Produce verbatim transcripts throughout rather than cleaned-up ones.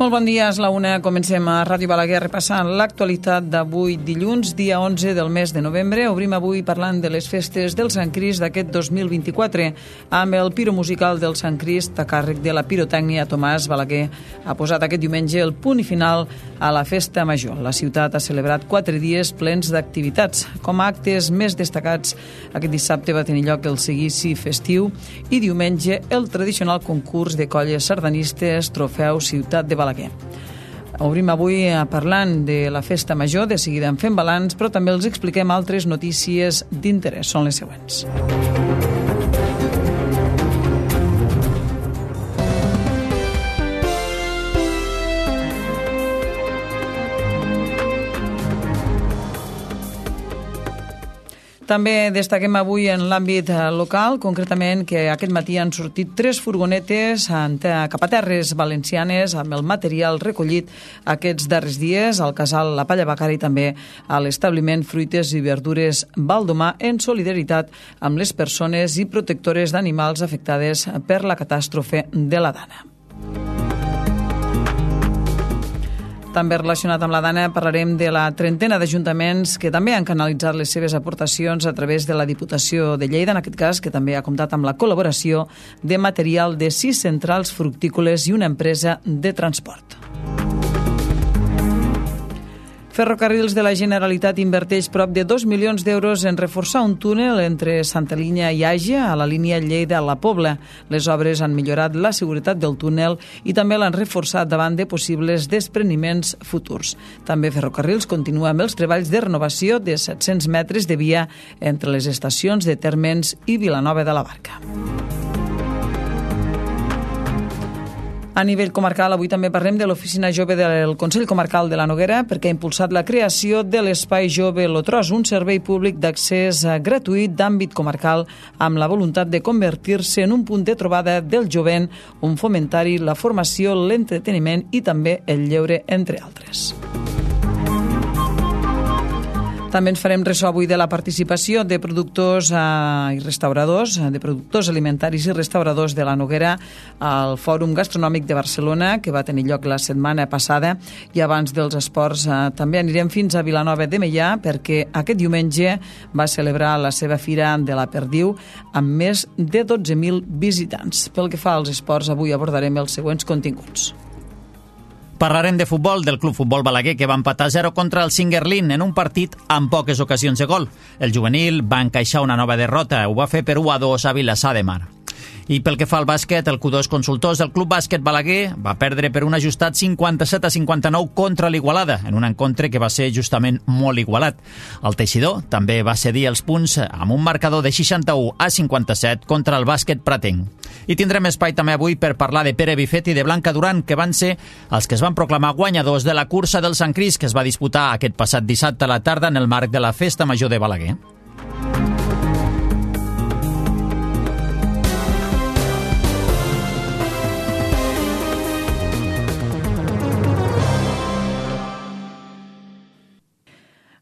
Molt bon dia, és la una. Comencem a Ràdio Balaguer repassant l'actualitat d'avui dilluns, dia onze del mes de novembre. Obrim avui parlant de les festes del Sant Crist d'aquest dos mil vint-i-quatre amb el Piro Musical del Sant Crist a càrrec de la pirotècnia. Tomàs Balaguer ha posat aquest diumenge el punt i final a la festa major. La ciutat ha celebrat quatre dies plens d'activitats. Com a actes més destacats, aquest dissabte va tenir lloc el seguici festiu i diumenge el tradicional concurs de colles sardanistes Trofeu Ciutat de Balaguer. Obrim avui parlant de la festa major, de seguida en fem balanç, però també els expliquem altres notícies d'interès. Són les següents. També destaquem avui en l'àmbit local, concretament que aquest matí han sortit tres furgonetes cap a terres valencianes amb el material recollit aquests darrers dies al casal La Palla Bacari i també a l'establiment Fruites i Verdures Baldomà en solidaritat amb les persones i protectores d'animals afectades per la catàstrofe de la Dana. També relacionat amb la Dana parlarem de la trentena d'ajuntaments que també han canalitzat les seves aportacions a través de la Diputació de Lleida, en aquest cas, que també ha comptat amb la col·laboració de material de sis centrals fructícoles i una empresa de transport. Ferrocarrils de la Generalitat inverteix prop de dos milions d'euros en reforçar un túnel entre Santa Linya i Àgia a la línia Lleida-La Pobla. Les obres han millorat la seguretat del túnel i també l'han reforçat davant de possibles despreniments futurs. També Ferrocarrils continua amb els treballs de renovació de set-cents metres de via entre les estacions de Térmens i Vilanova de la Barca. A nivell comarcal, avui també parlem de l'Oficina Jove del Consell Comarcal de la Noguera perquè ha impulsat la creació de l'Espai Jove Lotros, un servei públic d'accés gratuït d'àmbit comarcal amb la voluntat de convertir-se en un punt de trobada del jovent, on fomentar-hi la formació, l'entreteniment i també el lleure, entre altres. També ens farem ressò avui de la participació de productors eh, i restauradors, de productors alimentaris i restauradors de la Noguera al Fòrum Gastronòmic de Barcelona, que va tenir lloc la setmana passada, i abans dels esports eh, també anirem fins a Vilanova de Meià perquè aquest diumenge va celebrar la seva Fira de la Perdiu amb més de dotze mil visitants. Pel que fa als esports, avui abordarem els següents continguts. Parlarem de futbol del Club Futbol Balaguer, que va empatar a zero contra el Singuerlín en un partit amb poques ocasions de gol. El juvenil va encaixar una nova derrota, ho va fer per u a dos a Vilassar de Mar. I pel que fa al bàsquet, el Q dos Consultors del Club Bàsquet Balaguer va perdre per un ajustat cinquanta-set a cinquanta-nou contra l'Igualada, en un encontre que va ser justament molt igualat. El Teixidor també va cedir els punts amb un marcador de seixanta-u a cinquanta-set contra el bàsquet pratenc. I tindrem espai també avui per parlar de Pere Bifet i de Blanca Duran, que van ser els que es van proclamar guanyadors de la cursa del Sant Crist, que es va disputar aquest passat dissabte a la tarda en el marc de la Festa Major de Balaguer.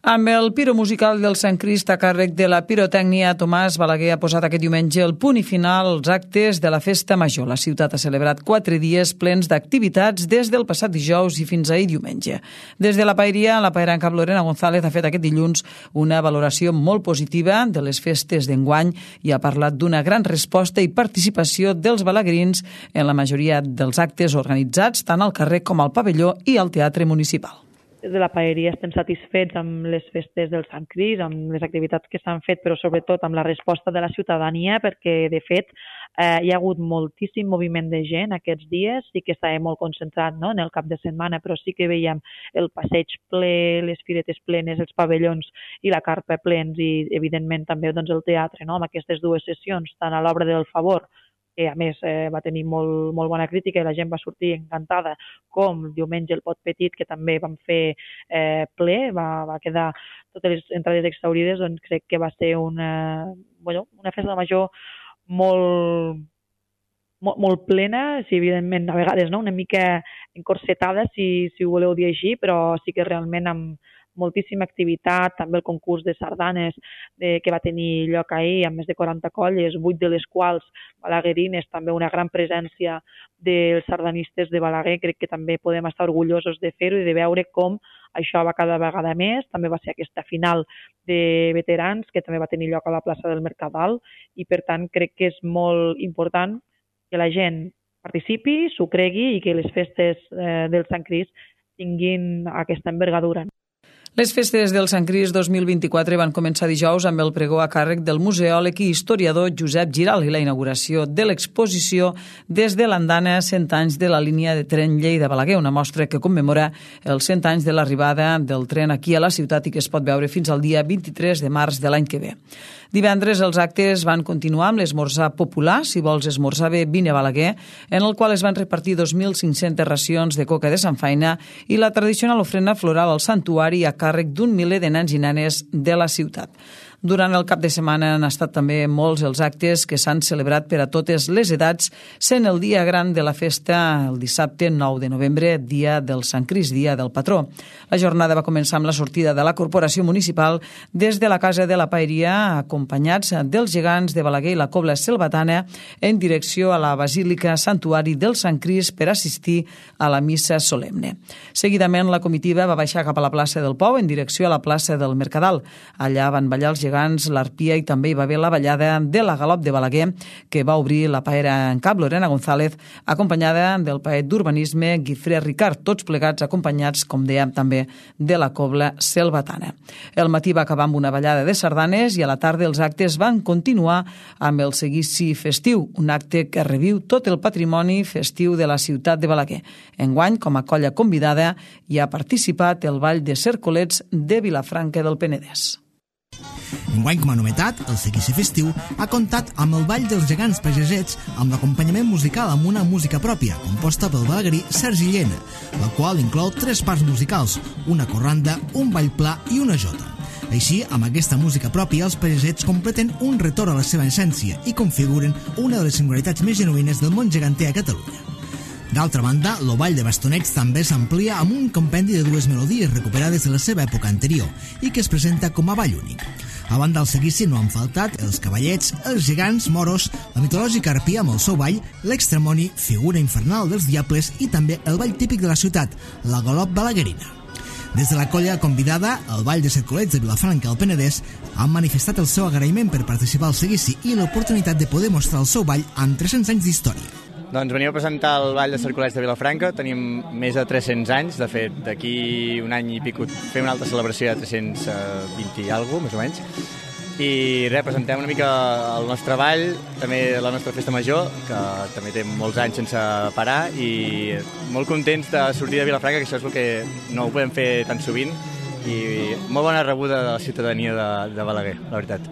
Amb el Piro Musical del Sant Crist a càrrec de la pirotècnia, Tomàs Balaguer ha posat aquest diumenge el punt i final als actes de la Festa Major. La ciutat ha celebrat quatre dies plens d'activitats des del passat dijous i fins ahir diumenge. Des de la paeria, la paeranca Lorena González ha fet aquest dilluns una valoració molt positiva de les festes d'enguany i ha parlat d'una gran resposta i participació dels balaguerins en la majoria dels actes organitzats tant al carrer com al pavelló i al teatre municipal. Des de la paeria estem satisfets amb les festes del Sant Crist, amb les activitats que s'han fet, però sobretot amb la resposta de la ciutadania, perquè, de fet, eh, hi ha hagut moltíssim moviment de gent aquests dies, sí que estava molt concentrat, no?, en el cap de setmana, però sí que veiem el passeig ple, les firetes plenes, els pavellons i la carpa plens i, evidentment, també doncs, el teatre, no?, amb aquestes dues sessions, tant a l'obra del Favor, que a més eh, va tenir molt, molt bona crítica i la gent va sortir encantada, com diumenge el Pot Petit, que també vam fer eh, ple, va, va quedar totes les entrades exhaurides, doncs crec que va ser una, bueno, una festa major molt, molt, molt plena, sí, evidentment a vegades no? Una mica encorsetada, si, si ho voleu dir així, però sí que realment amb moltíssima activitat, també el concurs de sardanes de, que va tenir lloc ahir amb més de quaranta colles, vuit de les quals balaguerines, també una gran presència dels sardanistes de Balaguer. Crec que també podem estar orgullosos de fer-ho i de veure com això va cada vegada més. També va ser aquesta final de veterans que també va tenir lloc a la plaça del Mercadal i per tant crec que és molt important que la gent participi, s'ho cregui i que les festes eh, del Sant Crist tinguin aquesta envergadura. Les festes del Sant Crist dos mil vint-i-quatre van començar dijous amb el pregó a càrrec del museòleg i historiador Josep Giral i la inauguració de l'exposició des de l'andana cent anys de la línia de tren Lleida-Balaguer, una mostra que commemora els cent anys de l'arribada del tren aquí a la ciutat i que es pot veure fins al dia vint-i-tres de març de l'any que ve. Divendres els actes van continuar amb l'esmorzar popular, si vols esmorzar bé, vine a Balaguer, en el qual es van repartir dos mil cinc-centes racions de coca de Samfaina i la tradicional ofrena floral al santuari a càrrec d'un miler de nens i nenes de la ciutat. Durant el cap de setmana han estat també molts els actes que s'han celebrat per a totes les edats, sent el dia gran de la festa el dissabte nou de novembre, dia del Sant Crist, dia del patró. La jornada va començar amb la sortida de la Corporació Municipal des de la Casa de la Paeria, acompanyats dels gegants de Balaguer i la Cobla Selvatana, en direcció a la Basílica Santuari del Sant Crist per assistir a la missa solemne. Seguidament, la comitiva va baixar cap a la plaça del Pou en direcció a la plaça del Mercadal. Allà van ballar els gegants, l'arpia i també hi va haver la ballada de la Galop de Balaguer, que va obrir la paera en cap Lorena González, acompanyada del paet d'urbanisme Guifré Ricard, tots plegats acompanyats, com dèiem, també de la Cobla Selvatana. El matí va acabar amb una ballada de sardanes i a la tarda els actes van continuar amb el seguici festiu, un acte que reviu tot el patrimoni festiu de la ciutat de Balaguer. Enguany, com a colla convidada, hi ha participat el Ball de Cercolets de Vilafranca del Penedès. Enguany, com a novetat, el seguici festiu ha comptat amb el Ball dels Gegants Pagesets amb l'acompanyament musical amb una música pròpia, composta pel balaguerí Sergi Llena, la qual inclou tres parts musicals, una corranda, un ball pla i una jota. Així, amb aquesta música pròpia, els pagesets completen un retorn a la seva essència i configuren una de les singularitats més genuïnes del món geganter a Catalunya. D'altra banda, el ball de bastonets també s'amplia amb un compendi de dues melodies recuperades de la seva època anterior i que es presenta com a ball únic. A banda del seguici no han faltat els cavallets, els gegants, moros, la mitològica arpia amb el seu ball, l'extremoni, figura infernal dels diables i també el ball típic de la ciutat, la galop balaguerina. Des de la colla convidada, el Ball de Cercolets de Vilafranca al Penedès han manifestat el seu agraïment per participar al seguici i l'oportunitat de poder mostrar el seu ball amb tres-cents anys d'història. Doncs venim a presentar el Ball de Cercolets de Vilafranca. Tenim més de tres-cents anys. De fet, d'aquí un any i pico fem una altra celebració de tres-cents vint i alguna cosa, més o menys. I res, presentem una mica el nostre ball, també la nostra festa major, que també té molts anys sense parar, i molt contents de sortir de Vilafranca, que això és el que no ho podem fer tan sovint, i molt bona rebuda de la ciutadania de, de Balaguer, la veritat.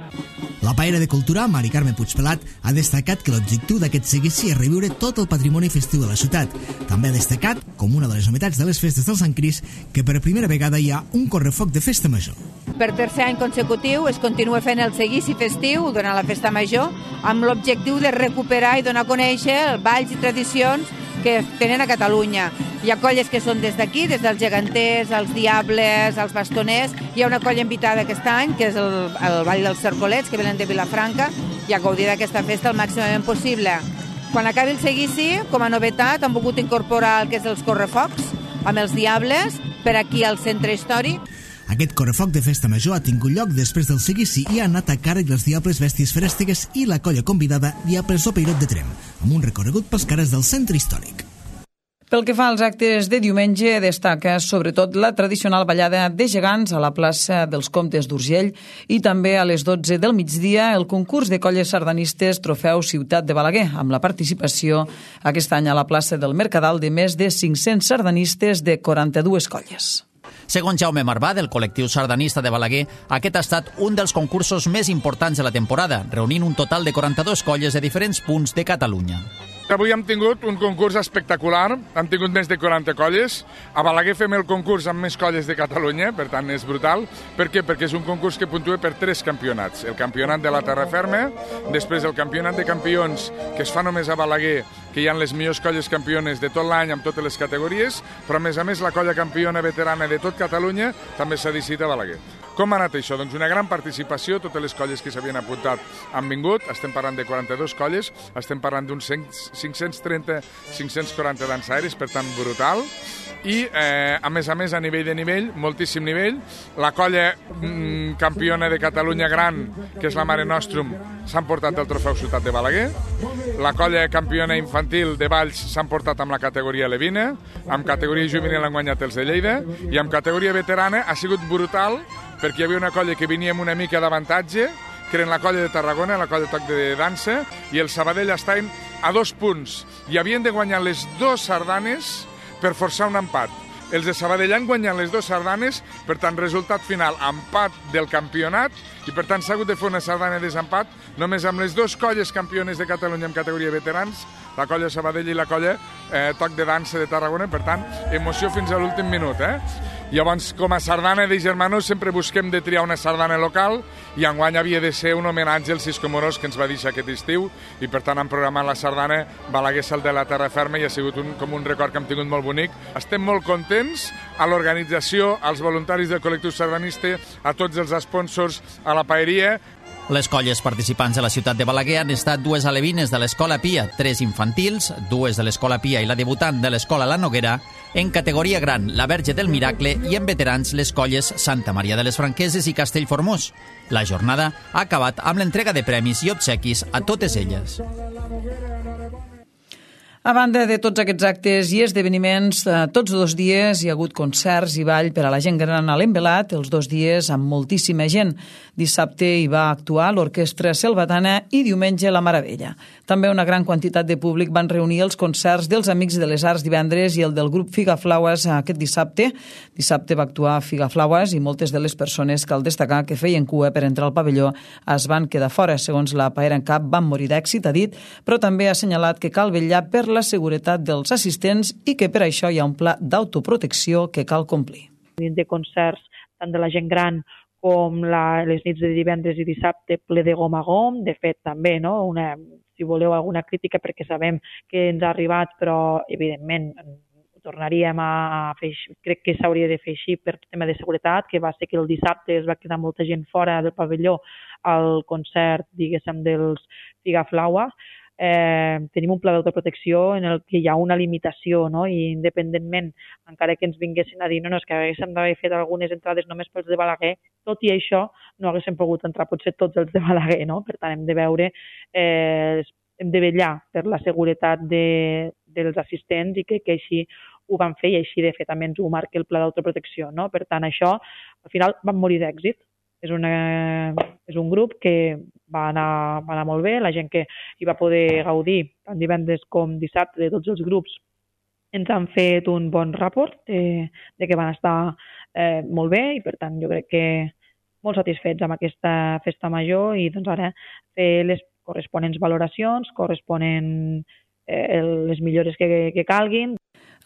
La paera de Cultura, Mari Carme Puigpelat, ha destacat que l'objectiu d'aquest seguici és reviure tot el patrimoni festiu de la ciutat. També ha destacat, com una de les novetats de les festes del Sant Crist, que per primera vegada hi ha un correfoc de festa major. Per tercer any consecutiu es continua fent el seguici festiu durant la festa major amb l'objectiu de recuperar i donar a conèixer els balls i tradicions que tenen a Catalunya. Hi ha colles que són des d'aquí, des dels geganters, els diables, els bastoners. Hi ha una colla invitada aquest any, que és el, el Ball dels Cercolets, que venen de Vilafranca, i a gaudir d'aquesta festa el màximament possible. Quan acabi el seguici, com a novetat, han volgut incorporar el que és els correfocs, amb els diables, per aquí al centre històric. Aquest correfoc de festa major ha tingut lloc després del seguici i ha anat a càrrec dels diables bèsties ferèstigues i la colla convidada Diables Opeirot de Trem, amb un recorregut pels carrers del centre històric. Pel que fa als actes de diumenge, destaca sobretot la tradicional ballada de gegants a la plaça dels Comtes d'Urgell i també a les dotze del migdia el concurs de colles sardanistes Trofeu Ciutat de Balaguer, amb la participació aquest any a la plaça del Mercadal de més de cinc-cents sardanistes de quaranta-dues colles. Segons Jaume Marvà, del col·lectiu sardanista de Balaguer, aquest ha estat un dels concursos més importants de la temporada, reunint un total de quaranta-dues colles de diferents punts de Catalunya. Avui hem tingut un concurs espectacular, hem tingut més de quaranta colles. A Balaguer fem el concurs amb més colles de Catalunya, per tant és brutal. Per què? Perquè és un concurs que puntua per tres campionats. El campionat de la terra ferma, després el campionat de campions, que es fa només a Balaguer, que hi ha les millors colles campiones de tot l'any amb totes les categories, però a més a més la colla campiona veterana de tot Catalunya també s'ha decidit a Balaguer. Com ha anat això? Doncs una gran participació, totes les colles que s'havien apuntat han vingut, estem parlant de quaranta-dues colles, estem parlant d'uns cinc-cents trenta cinc-cents quaranta dansaires, per tant brutal, i eh, a més a més a nivell de nivell, moltíssim nivell, la colla mm, campiona de Catalunya gran, que és la Mare Nostrum, s'han portat el trofeu Ciutat de Balaguer, la colla campiona infantil de Valls s'han portat amb la categoria Levina, amb categoria juvenil han guanyat els de Lleida, i amb categoria veterana ha sigut brutal, perquè hi havia una colla que venia amb una mica d'avantatge, que eren la colla de Tarragona, la colla de toc de dansa, i el Sabadell estaven a dos punts, i havien de guanyar les dues sardanes per forçar un empat. Els de Sabadell han guanyat les dues sardanes, per tant, resultat final, empat del campionat, i per tant s'ha hagut de fer una sardana de desempat només amb les dues colles campiones de Catalunya en categoria veterans, la colla Sabadell i la colla eh, Toc de Dansa de Tarragona, per tant, emoció fins a l'últim minut, eh? Llavors, com a sardana de germanos, sempre busquem de triar una sardana local i enguany havia de ser un homenatge al Cisco Morós que ens va deixar aquest estiu i per tant han programat la sardana Balaguer Sal de la Terra Ferma i ha sigut un, com un record que hem tingut molt bonic. Estem molt contents a l'organització, als voluntaris del col·lectiu sardanista, a tots els sponsors, a la paeria. Les colles participants de la ciutat de Balaguer han estat dues alevines de l'Escola Pia, tres infantils, dues de l'Escola Pia i la debutant de l'Escola La Noguera, en categoria gran la Verge del Miracle i en veterans les colles Santa Maria de les Franqueses i Castellformós. La jornada ha acabat amb l'entrega de premis i obsequis a totes elles. A banda de tots aquests actes i esdeveniments, tots dos dies hi ha hagut concerts i ball per a la gent gran a l'Envelat, els dos dies amb moltíssima gent. Dissabte hi va actuar l'Orquestra Selvatana i diumenge la Maravella. També una gran quantitat de públic van reunir els concerts dels Amics de les Arts divendres i el del grup Figaflaues aquest dissabte. Dissabte va actuar Figaflaues i moltes de les persones, cal destacar, que feien cua per entrar al pavelló es van quedar fora. Segons la Paera en Cap, van morir d'èxit, ha dit, però també ha assenyalat que cal vetllar per la seguretat dels assistents i que per això hi ha un pla d'autoprotecció que cal complir. De concerts tant de la gent gran com la, les nits de divendres i dissabte ple de gom a gom, de fet també, no? Una, si voleu alguna crítica perquè sabem que ens ha arribat, però evidentment ho tornaríem a fer, crec que s'hauria de fer així per tema de seguretat, que va ser que el dissabte es va quedar molta gent fora del pavelló al concert, diguéssim, dels Figaflaues. Eh, tenim un pla d'autoprotecció en el que hi ha una limitació, no? I independentment, encara que ens vinguessin a dir no, no, és que haguéssim d'haver fet algunes entrades només pels de Balaguer, tot i això no haguéssim pogut entrar potser tots els de Balaguer, no? Per tant, hem de veure, eh, hem de vetllar per la seguretat de, dels assistents i que, que així ho van fer i així de fet també ens ho marca el pla d'autoprotecció, no? Per tant, això al final van morir d'èxit. És, una, és un grup que va anar, va anar molt bé, la gent que hi va poder gaudir tant divendres com dissabte de tots els grups ens han fet un bon rapport de, de que van estar eh, molt bé i per tant jo crec que molt satisfets amb aquesta festa major i doncs ara fer les corresponents valoracions, corresponen eh, les millores que, que calguin.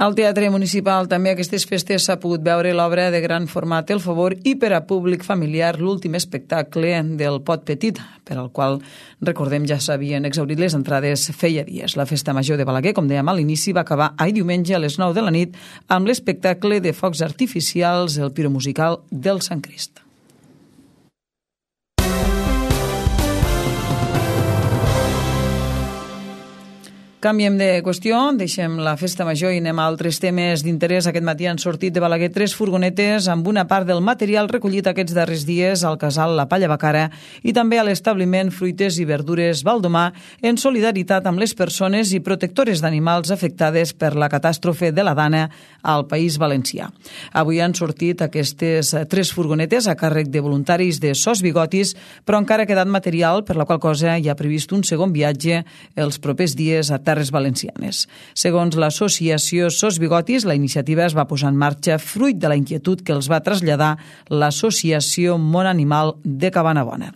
Al Teatre Municipal també aquestes festes s'ha pogut veure l'obra de gran format El Favor i per a públic familiar l'últim espectacle del Pot Petit, per al qual, recordem, ja s'havien exhaurit les entrades feia dies. La Festa Major de Balaguer, com dèiem a l'inici, va acabar ahir diumenge a les nou de la nit amb l'espectacle de focs artificials, el piromusical del Sant Crist. Canviem de qüestió, deixem la festa major i anem a altres temes d'interès. Aquest matí han sortit de Balaguer tres furgonetes amb una part del material recollit aquests darrers dies al casal La Palla Bacara i també a l'establiment Fruites i Verdures Valdomà en solidaritat amb les persones i protectores d'animals afectades per la catàstrofe de la Dana al País Valencià. Avui han sortit aquestes tres furgonetes a càrrec de voluntaris de Sos Bigotis, però encara ha quedat material, per la qual cosa hi ha previst un segon viatge els propers dies a Terres Valencianes. Segons l'associació Sos Bigotis, la iniciativa es va posar en marxa fruit de la inquietud que els va traslladar l'associació Món Animal de Cabanabona.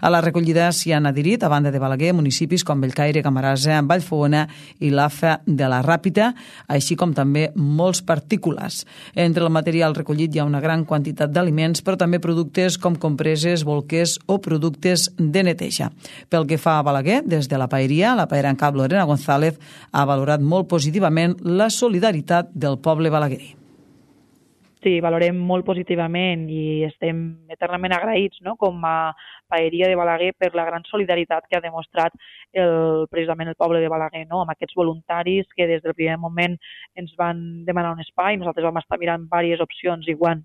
A la recollida s'hi han adherit, a banda de Balaguer, municipis com Bellcaire, Camarasa, Vallfogona i l'A F A de la Ràpita, així com també molts particulars. Entre el material recollit hi ha una gran quantitat d'aliments, però també productes com compreses, bolquers o productes de neteja. Pel que fa a Balaguer, des de la paeria, la Paera en Cap Lorena González, González ha valorat molt positivament la solidaritat del poble balaguerí. Sí, valorem molt positivament i estem eternament agraïts, no?, com a paeria de Balaguer per la gran solidaritat que ha demostrat el, precisament el poble de Balaguer, no?, amb aquests voluntaris que des del primer moment ens van demanar un espai. Nosaltres vam estar mirant diverses opcions i quan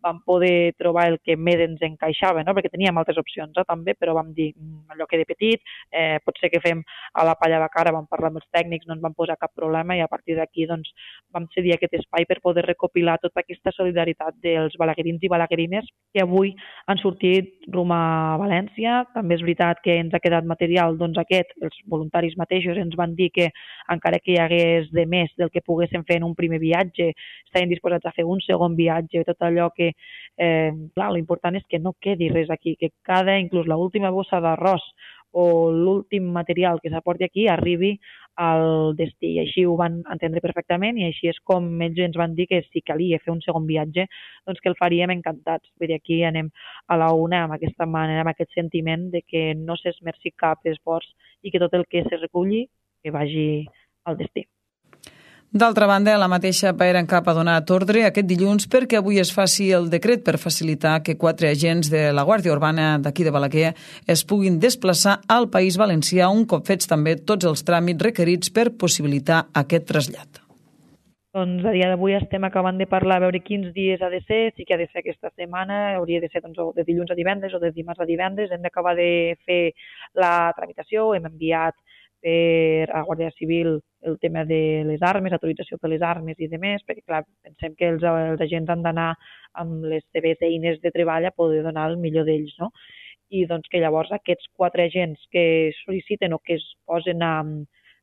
vam poder trobar el que més ens encaixava, no?, perquè teníem altres opcions, eh, també, però vam dir, allò que de petit, eh, pot ser que fem a la palla de cara, vam parlar amb els tècnics, no ens van posar cap problema i a partir d'aquí doncs, vam cedir aquest espai per poder recopilar tota aquesta solidaritat dels balaguerins i balaguerines que avui han sortit rumb a València. També és veritat que ens ha quedat material, doncs aquest, els voluntaris mateixos ens van dir que encara que hi hagués de més del que poguéssim fer en un primer viatge, estaven disposats a fer un segon viatge, tot allò que Eh, clar, l'important és que no quedi res aquí, que cada, inclús l'última bossa d'arròs o l'últim material que s'aporti aquí arribi al destí. I així ho van entendre perfectament i així és com ells ens van dir que si calia fer un segon viatge, doncs que el faríem encantats. Vull dir, aquí anem a la una amb aquesta manera, amb aquest sentiment de que no s'esmerci cap esforç i que tot el que se reculli que vagi al destí. D'altra banda, la mateixa Paera en Cap ha donat ordre aquest dilluns perquè avui es faci el decret per facilitar que quatre agents de la Guàrdia Urbana d'aquí de Balaguer es puguin desplaçar al País Valencià un cop fets també tots els tràmits requerits per possibilitar aquest trasllat. Doncs a dia d'avui estem acabant de parlar a veure quins dies ha de ser, sí que ha de ser aquesta setmana, hauria de ser doncs, de dilluns a divendres o de dimarts a divendres, hem d'acabar de fer la tramitació, hem enviat per a Guàrdia Civil el tema de les armes, autorització per les armes i demés, perquè clar, pensem que els, els agents han d'anar amb les seves eines de treball a poder donar el millor d'ells, no? I doncs que llavors aquests quatre agents que sol·liciten o que es posen a,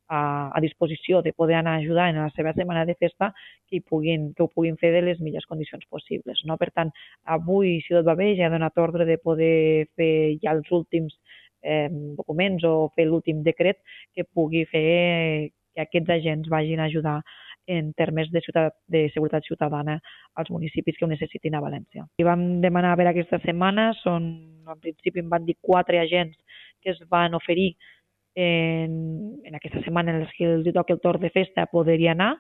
a, a disposició de poder anar a ajudar en la seva setmana de festa, que, hi puguin, que ho puguin fer de les millors condicions possibles, no? Per tant, avui, si tot va bé, ja he donat ordre de poder fer ja els últims Eh, documents o fer l'últim decret que pugui fer que aquests agents vagin a ajudar en termes de, ciutat, de seguretat ciutadana als municipis que ho necessitin a València. I vam demanar per aquesta setmana, són, en principi em van dir quatre agents que es van oferir en, en aquesta setmana en les que els toca el torn de festa poder-hi anar.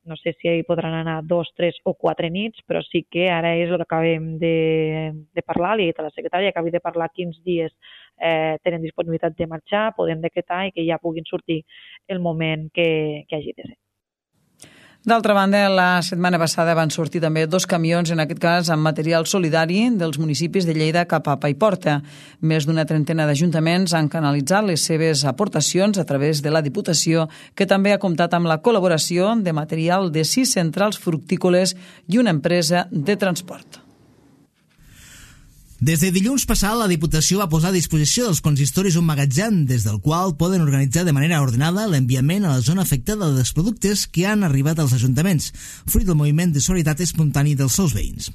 No sé si hi podran anar dos, tres o quatre nits, però sí que ara és el que acabem de, de parlar, li he dit a la secretària, acabem de parlar quins dies eh, tenen disponibilitat de marxar, podem decretar i que ja puguin sortir el moment que, que hagi de ser. D'altra banda, la setmana passada van sortir també dos camions, en aquest cas amb material solidari dels municipis de Lleida cap a Paiporta. Més d'una trentena d'ajuntaments han canalitzat les seves aportacions a través de la Diputació, que també ha comptat amb la col·laboració de material de sis centrals fructícoles i una empresa de transport. Des de dilluns passat, la Diputació va posar a disposició dels consistoris un magatzem des del qual poden organitzar de manera ordenada l'enviament a la zona afectada dels productes que han arribat als ajuntaments, fruit del moviment de solidaritat espontani dels seus veïns.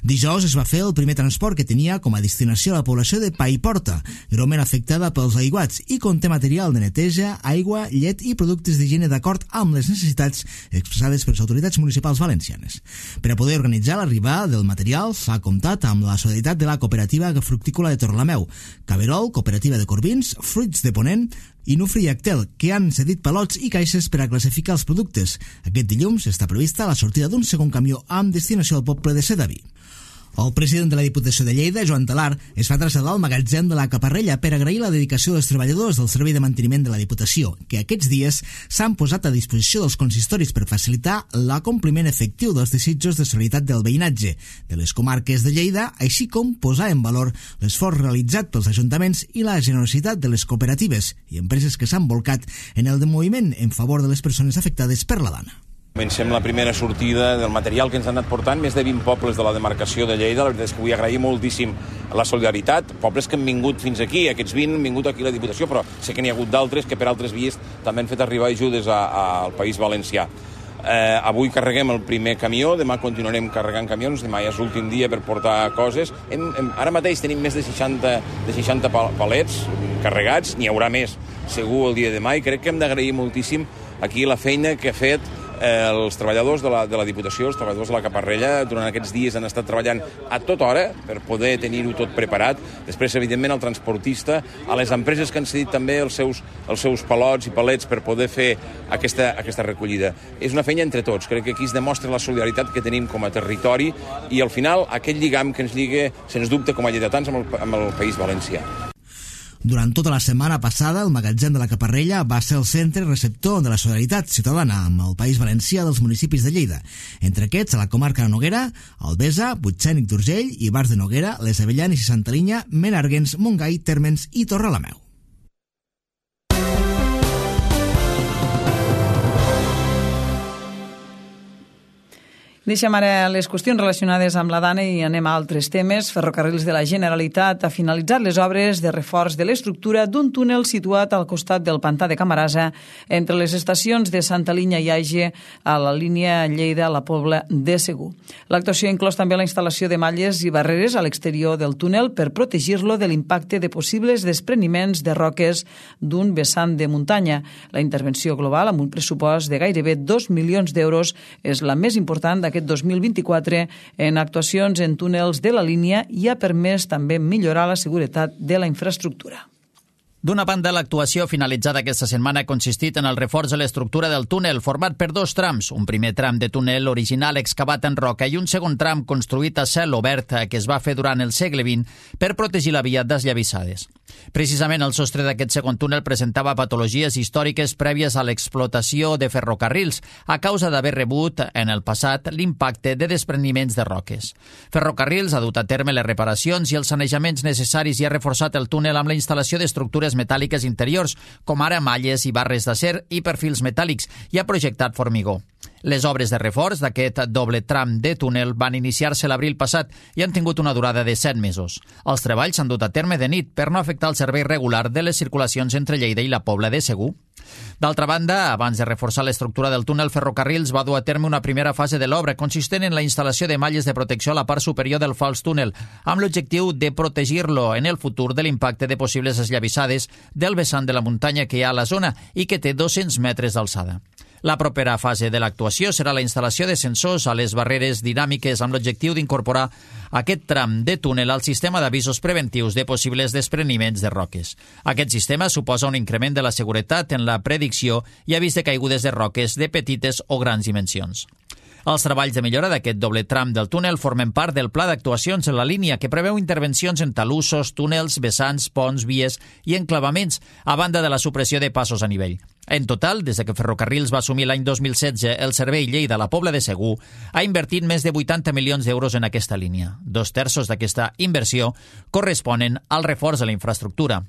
Dijous es va fer el primer transport que tenia com a destinació la població de Paiporta, greument afectada pels aiguats, i conté material de neteja, aigua, llet i productes d'higiene d'acord amb les necessitats expressades per les autoritats municipals valencianes. Per a poder organitzar l'arribada del material s'ha comptat amb la solidaritat de la Cooperativa Fructícola de Torlameu, Caberol, Cooperativa de Corbins, Fruits de Ponent i Nufri i Actel, que han cedit palots i caixes per a classificar els productes. Aquest dilluns està prevista la sortida d'un segon camió amb destinació al poble de Sedaví. El president de la Diputació de Lleida, Joan Talar, es va traslladar al magatzem de la Caparrella per agrair la dedicació dels treballadors del Servei de Manteniment de la Diputació, que aquests dies s'han posat a disposició dels consistoris per facilitar l'acompliment efectiu dels desitjos de solidaritat del veïnatge de les comarques de Lleida, així com posar en valor l'esforç realitzat pels ajuntaments i la generositat de les cooperatives i empreses que s'han volcat en el moviment en favor de les persones afectades per la dana. Comencem la primera sortida del material que ens han anat portant més de vint pobles de la demarcació de Lleida. La veritat és que vull agrair moltíssim la solidaritat. Pobles que han vingut fins aquí, aquests vint han vingut aquí a la Diputació, però sé que n'hi ha hagut d'altres que per altres vies també han fet arribar ajudes a, a, al País Valencià. Eh, avui carreguem el primer camió, demà continuarem carregant camions, demà ja és l'últim dia per portar coses. Hem, hem, ara mateix tenim més de seixanta, de seixanta palets carregats, n'hi haurà més segur el dia de demà, i crec que hem d'agrair moltíssim aquí la feina que ha fet eh, els treballadors de la, de la Diputació, els treballadors de la Caparrella, durant aquests dies han estat treballant a tota hora per poder tenir-ho tot preparat. Després, evidentment, el transportista, a les empreses que han cedit també els seus, els seus palots i palets per poder fer aquesta, aquesta recollida. És una feina entre tots. Crec que aquí es demostra la solidaritat que tenim com a territori i, al final, aquest lligam que ens lliga, sens dubte, com a lleidatans amb el, amb el País Valencià. Durant tota la setmana passada, el magatzem de la Caparrella va ser el centre receptor de la solidaritat ciutadana amb el País Valencià dels municipis de Lleida. Entre aquests, a la comarca de Noguera, Albesa, Butxènic d'Urgell, Ivars de Noguera, Les Avellanes i Santa Linya, Menàrguens, Montgai, Térmens i Torrelameu. Deixem ara les qüestions relacionades amb la Dana i anem a altres temes. Ferrocarrils de la Generalitat ha finalitzat les obres de reforç de l'estructura d'un túnel situat al costat del pantà de Camarasa entre les estacions de Santa Linya i Aige a la línia Lleida-La Pobla de Segur. L'actuació inclòs també la instal·lació de malles i barreres a l'exterior del túnel per protegir-lo de l'impacte de possibles despreniments de roques d'un vessant de muntanya. La intervenció global, amb un pressupost de gairebé dos milions d'euros, és la més important d'aquest aquest dos mil vint-i-quatre en actuacions en túnels de la línia i ha permès també millorar la seguretat de la infraestructura. D'una banda, l'actuació finalitzada aquesta setmana ha consistit en el reforç de l'estructura del túnel, format per dos trams, un primer tram de túnel original excavat en roca i un segon tram construït a cel obert que es va fer durant el segle vint per protegir la via desllavissades. Precisament el sostre d'aquest segon túnel presentava patologies històriques prèvies a l'explotació de ferrocarrils a causa d'haver rebut en el passat l'impacte de despreniments de roques. Ferrocarrils ha dut a terme les reparacions i els sanejaments necessaris i ha reforçat el túnel amb la instal·lació d'estructures metàl·liques interiors, com ara malles i barres d'acer i perfils metàl·lics, i ha projectat formigó. Les obres de reforç d'aquest doble tram de túnel van iniciar-se l'abril passat i han tingut una durada de set mesos. Els treballs s'han dut a terme de nit per no afectar el servei regular de les circulacions entre Lleida i la Pobla de Segur. D'altra banda, abans de reforçar l'estructura del túnel, Ferrocarrils va dur a terme una primera fase de l'obra consistent en la instal·lació de malles de protecció a la part superior del fals túnel, amb l'objectiu de protegir-lo en el futur de l'impacte de possibles esllavissades del vessant de la muntanya que hi ha a la zona i que té dos-cents metres d'alçada. La propera fase de l'actuació serà la instal·lació de sensors a les barreres dinàmiques amb l'objectiu d'incorporar aquest tram de túnel al sistema d'avisos preventius de possibles despreniments de roques. Aquest sistema suposa un increment de la seguretat en la predicció i avís de caigudes de roques de petites o grans dimensions. Els treballs de millora d'aquest doble tram del túnel formen part del pla d'actuacions en la línia que preveu intervencions en talussos, túnels, vessants, ponts, vies i enclavaments, a banda de la supressió de passos a nivell. En total, des que Ferrocarrils va assumir l'any dos mil setze el servei Lleida-La Pobla de Segur, ha invertit més de vuitanta milions d'euros en aquesta línia. Dos terços d'aquesta inversió corresponen al reforç de la infraestructura.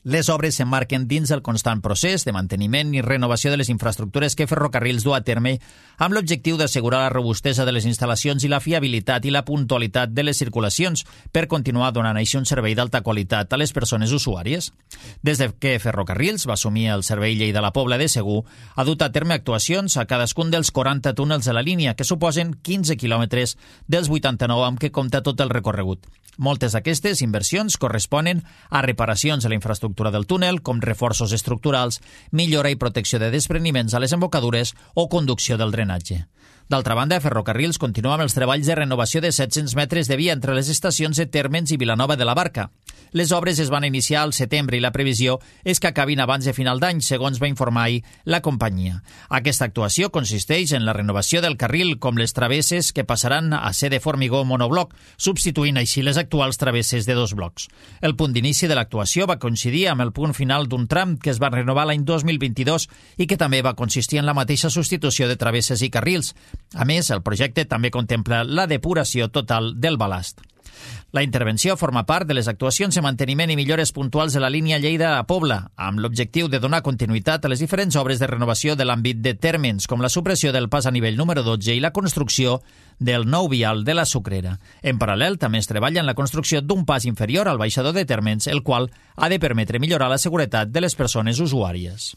Les obres s'emmarquen dins el constant procés de manteniment i renovació de les infraestructures que Ferrocarrils du a terme amb l'objectiu d'assegurar la robustesa de les instal·lacions i la fiabilitat i la puntualitat de les circulacions per continuar donant així un servei d'alta qualitat a les persones usuàries. Des de que Ferrocarrils va assumir el servei Lleida-La Pobla de Segur, ha dut a terme actuacions a cadascun dels quaranta túnels de la línia, que suposen quinze quilòmetres dels vuitanta-nou amb què compta tot el recorregut. Moltes d'aquestes inversions corresponen a reparacions a la infraestructura del túnel, com reforços estructurals, millora i protecció de despreniments a les embocadures o conducció del drenatge. D'altra banda, Ferrocarrils continua amb els treballs de renovació de set-cents metres de via entre les estacions de Térmens i Vilanova de la Barca. Les obres es van iniciar al setembre i la previsió és que acabin abans de final d'any, segons va informar ahir la companyia. Aquesta actuació consisteix en la renovació del carril, com les travesses que passaran a ser de formigó monobloc, substituint així les actuals travesses de dos blocs. El punt d'inici de l'actuació va coincidir amb el punt final d'un tram que es va renovar l'any dos mil vint-i-dos i que també va consistir en la mateixa substitució de travesses i carrils. A més, el projecte també contempla la depuració total del balast. La intervenció forma part de les actuacions de manteniment i millores puntuals de la línia Lleida a Pobla, amb l'objectiu de donar continuïtat a les diferents obres de renovació de l'àmbit de Térmens, com la supressió del pas a nivell número dotze i la construcció del nou vial de la Sucrera. En paral·lel, també es treballa en la construcció d'un pas inferior al baixador de Térmens, el qual ha de permetre millorar la seguretat de les persones usuàries.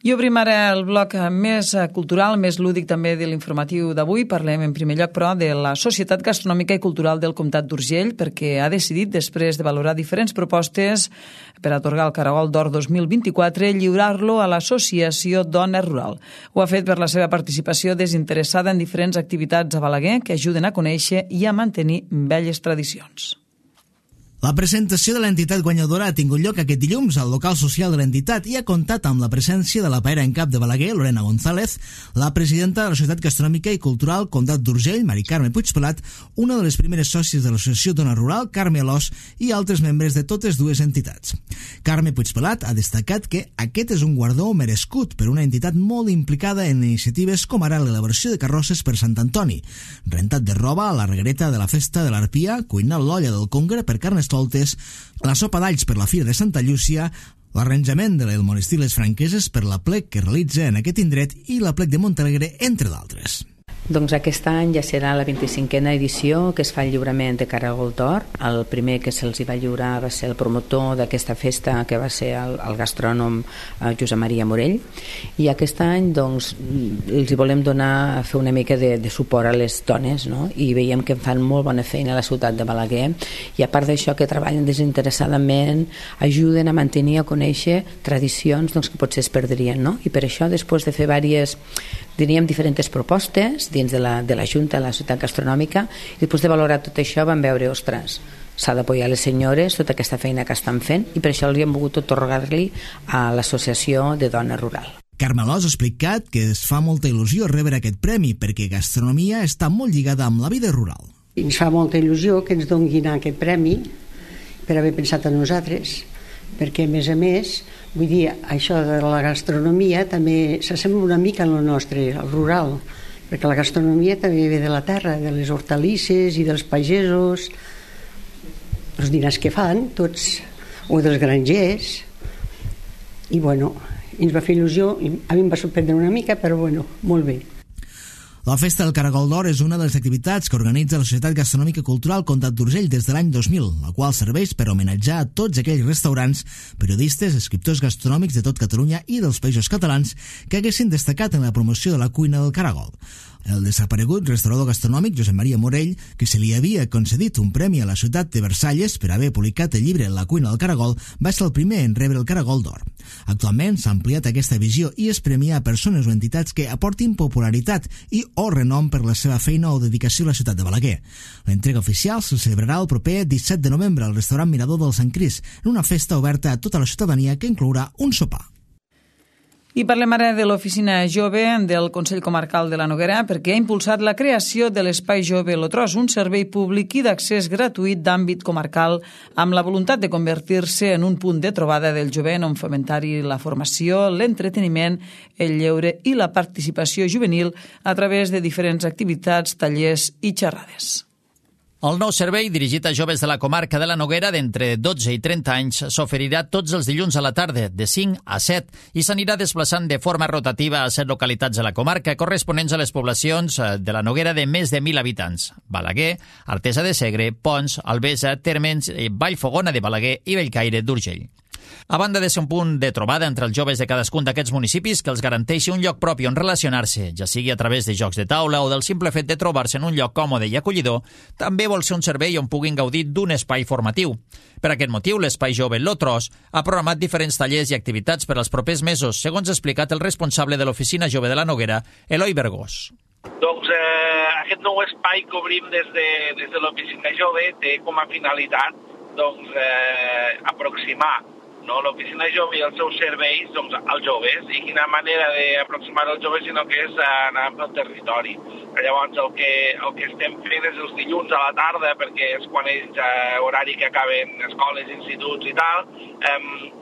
I obrim ara el bloc més cultural, més lúdic també de l'informatiu d'avui. Parlem en primer lloc, però, de la Societat Gastronòmica i Cultural del Comtat d'Urgell, perquè ha decidit, després de valorar diferents propostes per atorgar el Caragol d'Or dos mil vint-i-quatre, lliurar-lo a l'Associació Dona Rural. Ho ha fet per la seva participació desinteressada en diferents activitats a Balaguer que ajuden a conèixer i a mantenir velles tradicions. La presentació de l'entitat guanyadora ha tingut lloc aquest dilluns al local social de l'entitat i ha comptat amb la presència de la paera en cap de Balaguer, Lorena González, la presidenta de la Societat Gastronòmica i Cultural Comtat d'Urgell, Mari Carme Puigpelat, una de les primeres sòcies de l'Associació Dona Rural, Carme Alòs, i altres membres de totes dues entitats. Carme Puigpelat ha destacat que aquest és un guardó merescut per una entitat molt implicada en iniciatives com ara l'elaboració de carrosses per Sant Antoni, rentat de roba a la reguereta de la festa de l'Arpia, cuinar l'olla del Congre per carnes la sopa d'alls per la Fira de Santa Llúcia, l'arranjament del monestir Les Franqueses per la plec que realitza en aquest indret i la plec de Montalegre, entre d'altres. Doncs aquest any ja serà la vint-i-cinquena edició que es fa el lliurament de Caragol d'Or. El primer que se'ls va lliurar va ser el promotor d'aquesta festa, que va ser el, el gastrònom eh, Josep Maria Morell, i aquest any doncs els hi volem donar a fer una mica de, de suport a les dones, no? I veiem que fan molt bona feina a la ciutat de Balaguer, i a part d'això que treballen desinteressadament, ajuden a mantenir, a conèixer tradicions doncs, que potser es perdrien, no? I per això, després de fer diverses, diríem, diferents propostes dins de la, de la Junta, de la Societat Gastronòmica, i després de valorar tot això vam veure, ostres, s'ha d'apoyar les senyores tota aquesta feina que estan fent, i per això els hem volgut atorgar-li a l'Associació de Dona Rural. Carme Alòs ha explicat que es fa molta il·lusió rebre aquest premi perquè gastronomia està molt lligada amb la vida rural. Ens fa molta il·lusió que ens donin aquest premi per haver pensat en nosaltres, perquè a més a més, vull dir, això de la gastronomia també s'assembla una mica a lo nostre, al rural, perquè la gastronomia també ve de la terra, de les hortalisses i dels pagesos, els dinars que fan tots, o dels grangers, i bueno, ens va fer il·lusió, a mi em va sorprendre una mica, però bueno, molt bé. La Festa del Caragol d'Or és una de les activitats que organitza la Societat Gastronòmica i Cultural Comtat d'Urgell des de l'any dos mil, la qual serveix per homenatjar a tots aquells restaurants, periodistes, escriptors gastronòmics de tot Catalunya i dels països catalans que haguessin destacat en la promoció de la cuina del Caragol. El desaparegut restaurador gastronòmic Josep Maria Morell, que se li havia concedit un premi a la ciutat de Versalles per haver publicat el llibre La cuina del Caragol, va ser el primer en rebre el Caragol d'Or. Actualment s'ha ampliat aquesta visió i es premia a persones o entitats que aportin popularitat i o renom per la seva feina o dedicació a la ciutat de Balaguer. L'entrega oficial se celebrarà el proper disset de novembre al restaurant Mirador del Sant Crist, en una festa oberta a tota la ciutadania que inclourà un sopar. I parlem ara de l'Oficina Jove del Consell Comarcal de la Noguera, perquè ha impulsat la creació de l'Espai Jove Lotros, un servei públic i d'accés gratuït d'àmbit comarcal, amb la voluntat de convertir-se en un punt de trobada del jovent on fomentar-hi la formació, l'entreteniment, el lleure i la participació juvenil a través de diferents activitats, tallers i xerrades. El nou servei, dirigit a joves de la comarca de la Noguera d'entre dotze i trenta anys, s'oferirà tots els dilluns a la tarda, de cinc a set, i s'anirà desplaçant de forma rotativa a set localitats de la comarca corresponents a les poblacions de la Noguera de més de mil habitants: Balaguer, Artesa de Segre, Pons, Albesa, Térmens, Vallfogona de Balaguer i Bellcaire d'Urgell. A banda de ser un punt de trobada entre els joves de cadascun d'aquests municipis que els garanteixi un lloc propi on relacionar-se, ja sigui a través de jocs de taula o del simple fet de trobar-se en un lloc còmode i acollidor, també vol ser un servei on puguin gaudir d'un espai formatiu. Per aquest motiu, l'Espai Jove Lotros ha programat diferents tallers i activitats per als propers mesos, segons ha explicat el responsable de l'Oficina Jove de la Noguera, Eloi Bergós. Doncs eh, aquest nou espai que obrim des de, des de l'Oficina Jove té com a finalitat doncs, eh, aproximar no, l'Oficina Jove i els seus serveis doncs, als joves, i quina manera d'aproximar als joves sinó que és anar pel territori. Llavors el que, el que estem fent és els dilluns a la tarda, perquè és quan és eh, horari que acaben escoles, instituts i tal, eh,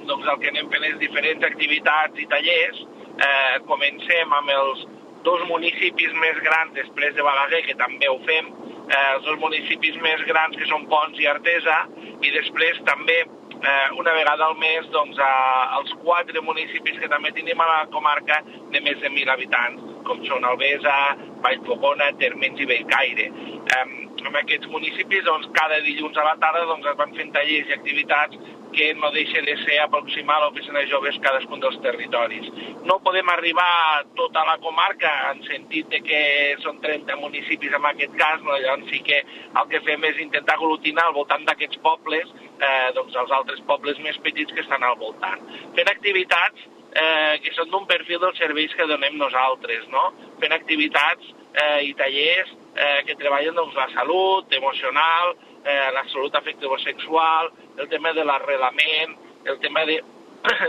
doncs el que anem fent és diferents activitats i tallers. Eh, comencem amb els dos municipis més grans després de Balaguer, que també ho fem, eh, els dos municipis més grans que són Pons i Artesa, i després també Eh, una vegada al mes doncs, a, als quatre municipis que també tenim a la comarca de més de mil habitants. com són Albesa, Vallfogona, Térmens i Bellcaire. Um, en aquests municipis, doncs, cada dilluns a la tarda doncs, es van fent tallers i activitats que no deixa de ser aproximar l'oficina de joves cadascun dels territoris. No podem arribar a tota la comarca en sentit de que són trenta municipis en aquest cas, no? Llavors sí que el que fem és intentar aglutinar al voltant d'aquests pobles eh, doncs els altres pobles més petits que estan al voltant. Fent activitats eh, que són d'un perfil dels serveis que donem nosaltres, no? Fent activitats eh, i tallers eh, que treballen doncs, la salut emocional, eh, la salut afectivo-sexual, el tema de l'arrelament, el tema de,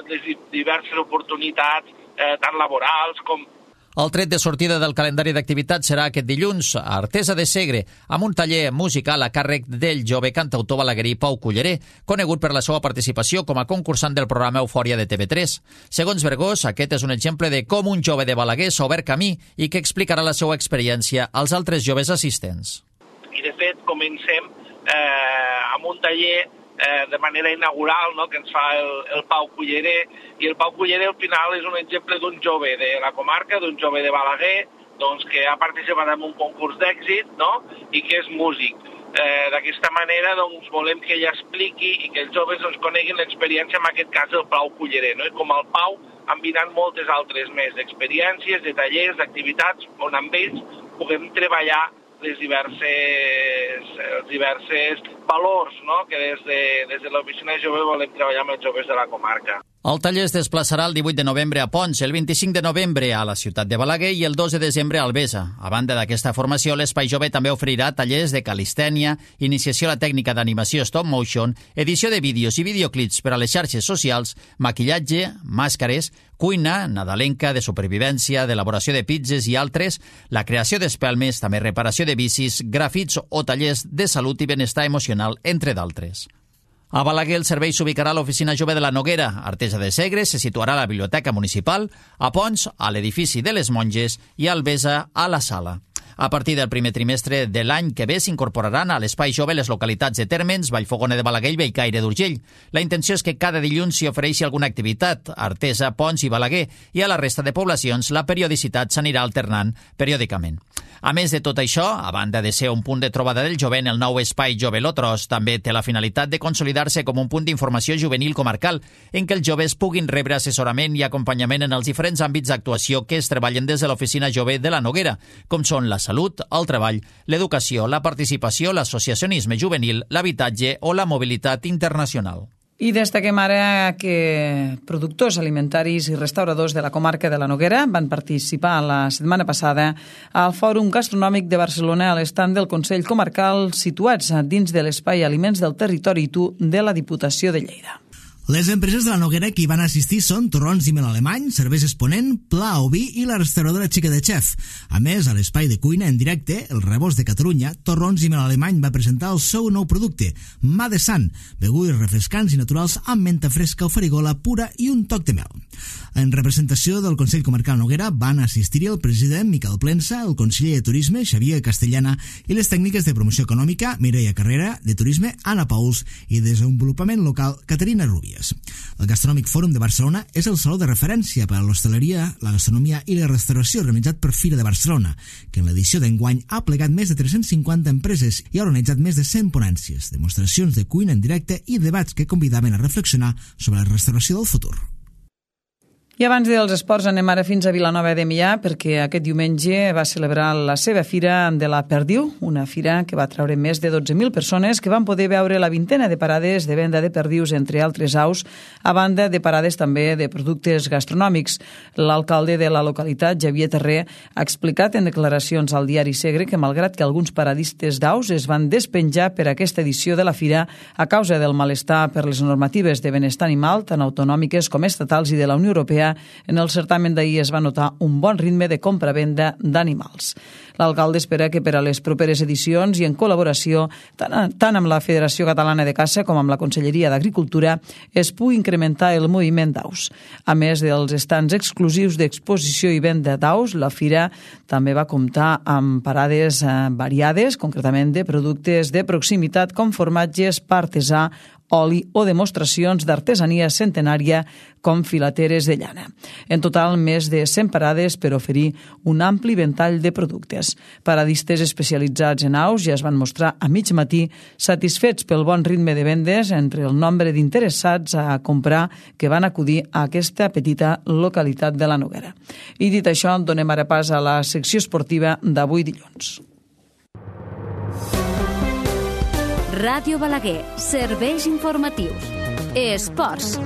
de diverses oportunitats, eh, tant laborals com... El tret de sortida del calendari d'activitats serà aquest dilluns a Artesa de Segre, amb un taller musical a càrrec del jove cantautor balaguerí Pau Culleré, conegut per la seva participació com a concursant del programa Eufòria de T V tres. Segons Vergós, aquest és un exemple de com un jove de Balaguer s'ha obert camí i que explicarà la seva experiència als altres joves assistents. I de fet comencem eh, amb un taller Eh, de manera inaugural, no?, que ens fa el, el Pau Culleré, i el Pau Culleré al final és un exemple d'un jove de la comarca, d'un jove de Balaguer, doncs, que ha participat en un concurs d'èxit, no?, i que és músic. Eh, D'aquesta manera doncs, volem que ell expliqui i que els joves doncs, coneguin l'experiència, en aquest cas del Pau Culleré, no? I com el Pau han vingut moltes altres més d'experiències, de tallers, d'activitats, on amb ells puguem treballar les diverses, els diverses valors, no?, que des de, des de l'oficina jove volem treballar amb els joves de la comarca. El taller es desplaçarà el divuit de novembre a Pons, el vint-i-cinc de novembre a la ciutat de Balaguer i el dos de desembre a Albesa. A banda d'aquesta formació, l'Espai Jove també oferirà tallers de calistènia, iniciació a la tècnica d'animació stop motion, edició de vídeos i videoclips per a les xarxes socials, maquillatge, màscares, cuina, nadalenca, de supervivència, d'elaboració de pizzas i altres, la creació d'espelmes, també reparació de bicis, grafits o tallers de salut i benestar emocional, entre d'altres. A Balaguer el servei s'ubicarà a l'Oficina Jove de la Noguera. A Artesa de Segre se situarà a la Biblioteca Municipal, a Pons, a l'edifici de les Monges i a Albesa, a la Sala. A partir del primer trimestre de l'any que ve s'incorporaran a l'Espai Jove les localitats de Térmens, Vallfogona de Balaguer i Bellcaire d'Urgell. La intenció és que cada dilluns s'hi ofereixi alguna activitat, a Artesa, Pons i Balaguer, i a la resta de poblacions la periodicitat s'anirà alternant periòdicament. A més de tot això, a banda de ser un punt de trobada del jovent, el nou Espai Jove Lotros també té la finalitat de consolidar-se com un punt d'informació juvenil comarcal, en què els joves puguin rebre assessorament i acompanyament en els diferents àmbits d'actuació que es treballen des de l'Oficina Jove de la Noguera, com són la salut, el treball, l'educació, la participació, l'associacionisme juvenil, l'habitatge o la mobilitat internacional. I destaquem ara que productors alimentaris i restauradors de la comarca de la Noguera van participar la setmana passada al Fòrum Gastronòmic de Barcelona a l'estand del Consell Comarcal situats dins de l'espai Aliments del Territori I Tu de la Diputació de Lleida. Les empreses de la Noguera que hi van assistir són Torrons i Mel Alemany, Cerveses Ponent, Pla Oví i la restauradora Xica de Chef. A més, a l'espai de cuina en directe, el Rebost de Catalunya, Torrons i Mel Alemany va presentar el seu nou producte, Mà de Sant, begudes refrescants i naturals amb menta fresca o farigola pura i un toc de mel. En representació del Consell Comarcal Noguera van assistir-hi el president Miquel Plensa, el conseller de Turisme Xavier Castellana i les tècniques de promoció econòmica Mireia Carrera, de Turisme Anna Pauls i de Desenvolupament Local Caterina Rubia. El Gastronòmic Fòrum de Barcelona és el saló de referència per a l'hostaleria, la gastronomia i la restauració organitzat per Fira de Barcelona, que en l'edició d'enguany ha plegat més de tres-cents cinquanta empreses i ha organitzat més de cent ponències, demostracions de cuina en directe i debats que convidaven a reflexionar sobre la restauració del futur. I abans dels esports anem ara fins a Vilanova de Meià perquè aquest diumenge va celebrar la seva fira de la Perdiu, una fira que va treure més de dotze mil persones que van poder veure la vintena de parades de venda de perdius, entre altres aus, a banda de parades també de productes gastronòmics. L'alcalde de la localitat, Xavier Terré, ha explicat en declaracions al diari Segre que malgrat que alguns paradistes d'aus es van despenjar per aquesta edició de la fira a causa del malestar per les normatives de benestar animal, tant autonòmiques com estatals i de la Unió Europea, en el certamen d'ahir es va notar un bon ritme de compra-venda d'animals. L'alcalde espera que per a les properes edicions i en col·laboració tant, tant amb la Federació Catalana de Caça com amb la Conselleria d'Agricultura es pugui incrementar el moviment d'aus. A més dels estants exclusius d'exposició i venda d'aus, la fira també va comptar amb parades variades, concretament de productes de proximitat com formatges, pa artesà oli o demostracions d'artesania centenària com filateres de llana. En total, més de cent parades per oferir un ampli ventall de productes. Paradistes especialitzats en aus ja es van mostrar a mig matí satisfets pel bon ritme de vendes entre el nombre d'interessats a comprar que van acudir a aquesta petita localitat de la Noguera. I dit això, donem ara pas a la secció esportiva d'avui dilluns. Ràdio Balaguer, serveis informatius. Esports.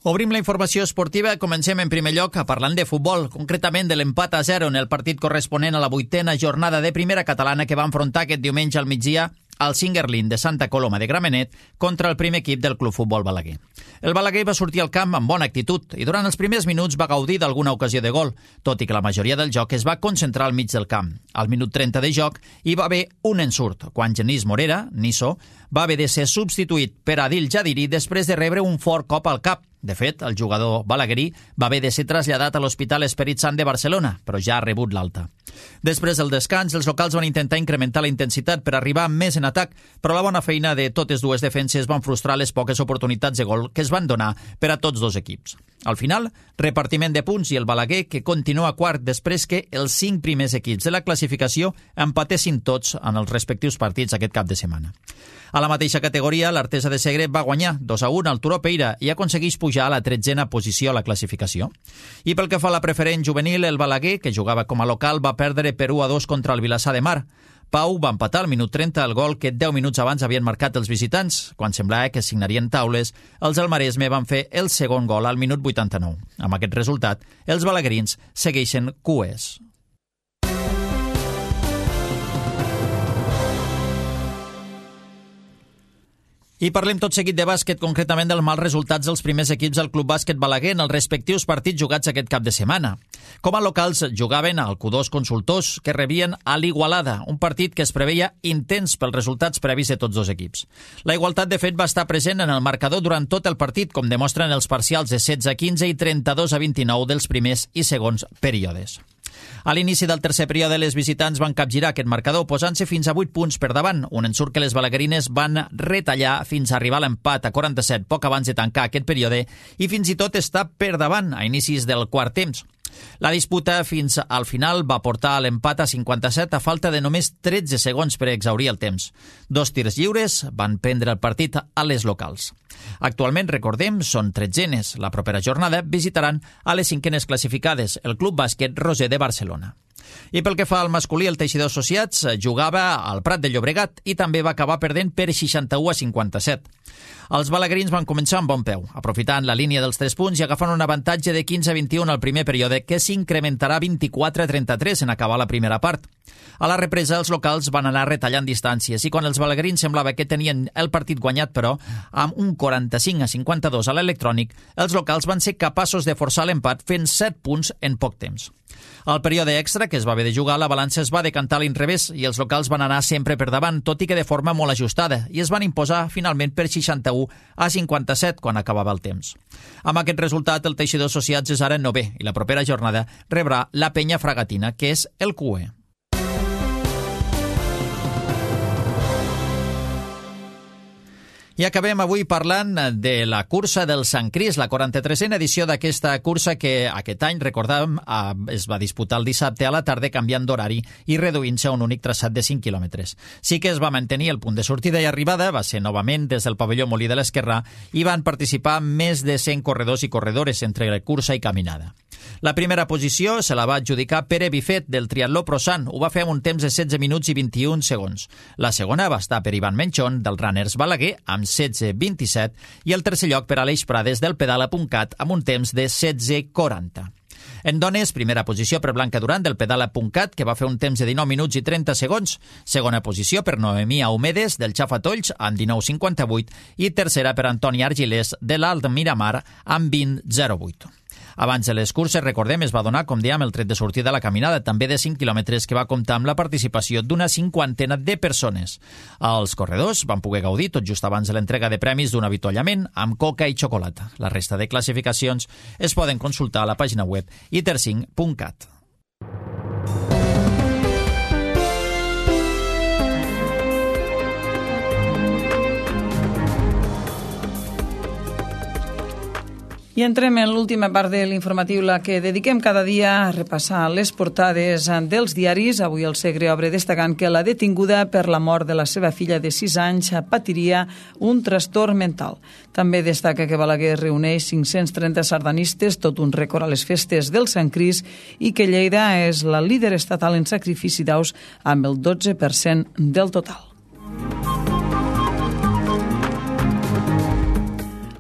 Obrim la informació esportiva. Comencem en primer lloc parlant de futbol, concretament de l'empat a zero en el partit corresponent a la vuitena jornada de primera catalana que va enfrontar aquest diumenge al migdia al Singerlin de Santa Coloma de Gramenet contra el primer equip del Club Futbol Balaguer. El Balaguer va sortir al camp amb bona actitud i durant els primers minuts va gaudir d'alguna ocasió de gol, tot i que la majoria del joc es va concentrar al mig del camp. Al minut trenta de joc hi va haver un ensurt, quan Genís Morera, Niso, va haver de ser substituït per Adil Jadiri després de rebre un fort cop al cap. De fet, el jugador balaguerí va haver de ser traslladat a l'Hospital Esperit Sant de Barcelona, però ja ha rebut l'alta. Després del descans, els locals van intentar incrementar la intensitat per arribar més en atac, però la bona feina de totes dues defenses van frustrar les poques oportunitats de gol que es van donar per a tots dos equips. Al final, repartiment de punts i el Balaguer, que continua quart després que els cinc primers equips de la classificació empatessin tots en els respectius partits aquest cap de setmana. A la mateixa categoria, l'Artesa de Segre va guanyar dos a un al Turó Peira i aconsegueix pujar a la tretzena posició a la classificació. I pel que fa a la preferent juvenil, el Balaguer, que jugava com a local, va perdre per u a dos contra el Vilassar de Mar. Pau va empatar al minut trenta el gol que deu minuts abans havien marcat els visitants. Quan semblava que signarien taules, els del Maresme van fer el segon gol al minut vuitanta-nou. Amb aquest resultat, els balaguerins segueixen cues. I parlem tot seguit de bàsquet, concretament dels mals resultats dels primers equips del Club Bàsquet Balaguer en els respectius partits jugats aquest cap de setmana. Com a locals jugaven al Q dos Consultors, que rebien a l'Igualada, un partit que es preveia intens pels resultats previs de tots dos equips. La igualtat, de fet, va estar present en el marcador durant tot el partit, com demostren els parcials de setze a quinze i trenta-dos a vint-i-nou dels primers i segons períodes. A l'inici del tercer període, les visitants van capgirar aquest marcador, posant-se fins a vuit punts per davant, un ensurt que les balaguerines van retallar fins a arribar a l'empat a quaranta-set poc abans de tancar aquest període i fins i tot estar per davant a inicis del quart temps. La disputa fins al final va portar a l'empat a cinquanta-set a falta de només tretze segons per exhaurir el temps. Dos tirs lliures van prendre el partit a les locals. Actualment, recordem, són tretzenes. La propera jornada visitaran a les cinquenes classificades, el Club Bàsquet Roser de Barcelona. I pel que fa al masculí, el Teixidor Associats jugava al Prat de Llobregat i també va acabar perdent per seixanta-u a cinquanta-set. Els balaguerins van començar amb bon peu, aprofitant la línia dels tres punts i agafant un avantatge de quinze a vint-i-un al primer període que s'incrementarà a vint-i-quatre a trenta-tres en acabar la primera part. A la represa, els locals van anar retallant distàncies i quan els balaguerins semblava que tenien el partit guanyat, però, amb un quaranta-cinc a cinquanta-dos a l'electrònic, els locals van ser capaços de forçar l'empat fent set punts en poc temps. Al període extra, que es va haver de jugar, la balança es va decantar a l'inrevés i els locals van anar sempre per davant, tot i que de forma molt ajustada, i es van imposar finalment per seixanta-u a cinquanta-set quan acabava el temps. Amb aquest resultat, el Teixidor Associats és ara novè i la propera jornada rebrà la Penya Fragatina, que és el Q E. I acabem avui parlant de la cursa del Sant Crist, la quaranta-tresena edició d'aquesta cursa que aquest any, recordàvem, es va disputar el dissabte a la tarda canviant d'horari i reduint-se a un únic traçat de cinc quilòmetres. Sí que es va mantenir el punt de sortida i arribada, va ser novament des del pavelló Molí de l'Esquerrà i van participar més de cent corredors i corredores entre cursa i caminada. La primera posició se la va adjudicar Pere Bifet del Triatló Prosan, ho va fer amb un temps de setze minuts i vint-i-un segons. La segona va estar per Ivan Menchón del Runners Balaguer amb setze vint-i-set i el tercer lloc per Aleix Prades del Pedala.cat amb un temps de setze quaranta. En dones, primera posició per Blanca Duran del Pedala.cat, que va fer un temps de dinou minuts i trenta segons. Segona posició per Noemí Aumedes del Xafatolls amb dinou cinquanta-vuit i tercera per Antoni Argilés de l'Alt Miramar amb vint zero vuit. Abans de les curses, recordem, es va donar, com dèiem, el tret de sortida de la caminada, també de cinc quilòmetres, que va comptar amb la participació d'una cinquantena de persones. Els corredors van poder gaudir tot just abans de l'entrega de premis d'un avituallament amb coca i xocolata. La resta de classificacions es poden consultar a la pàgina web i ter cinc punt cat. I entrem en l'última part de l'informatiu, la que dediquem cada dia a repassar les portades dels diaris. Avui el Segre obre destacant que la detinguda per la mort de la seva filla de sis anys patiria un trastorn mental. També destaca que Balaguer reuneix cinc-cents trenta sardanistes, tot un rècord a les festes del Sant Crist, i que Lleida és la líder estatal en sacrifici d'aus amb el dotze per cent del total.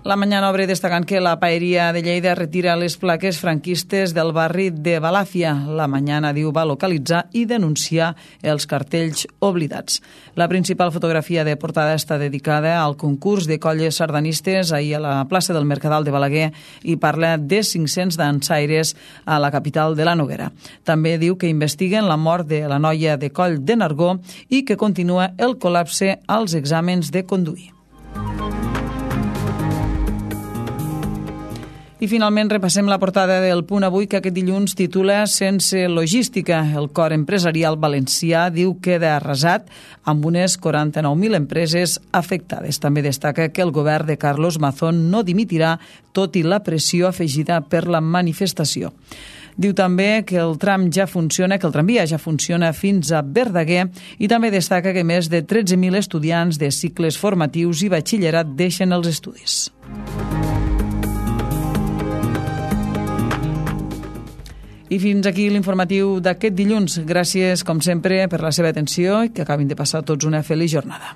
La Mañana obre destacant que la Paeria de Lleida retira les plaques franquistes del barri de Balàfia. La Mañana diu va localitzar i denunciar els cartells oblidats. La principal fotografia de portada està dedicada al concurs de colles sardanistes ahir a la plaça del Mercadal de Balaguer i parla de cinc-cents dansaires a la capital de la Noguera. També diu que investiguen la mort de la noia de Coll de Nargó i que continua el col·lapse als exàmens de conduir. I finalment repassem la portada del Punt Avui, que aquest dilluns titula Sense logística. El cor empresarial valencià diu queda arrasat amb unes quaranta-nou mil empreses afectades. També destaca que el govern de Carlos Mazón no dimitirà, tot i la pressió afegida per la manifestació. Diu també que el tram ja funciona, que el tramvia ja funciona fins a Verdaguer, i també destaca que més de tretze mil estudiants de cicles formatius i batxillerat deixen els estudis. I fins aquí l'informatiu d'aquest dilluns. Gràcies, com sempre, per la seva atenció i que acabin de passar tots una feliç jornada.